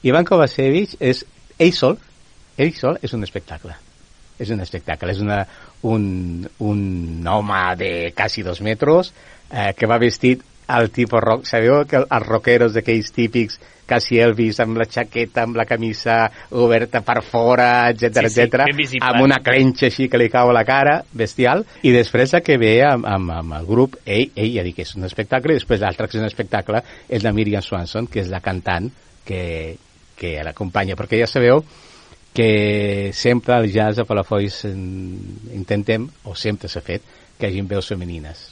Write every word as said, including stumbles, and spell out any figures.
Ivan Kovacevic és ell sol, ell sol és un espectacle. És un espectacle, és una, un, un home de quasi dos metres eh, que va vestit al tipus rock. Sabeu que els rockeros d'aquells típics quasi Elvis, amb la jaqueta, amb la camisa oberta per fora, etcètera, sí, sí, etcètera, amb una clenxa així que li cau a la cara, bestial, i després la que ve amb, amb, amb el grup, ell, ell ja dic que és un espectacle, i després l'altre que és un espectacle és la Miriam Swanson, que és la cantant que, que l'acompanya, perquè ja sabeu que sempre al jazz a Palafolls intentem, o sempre s'ha fet, que hi hagi veus femenines.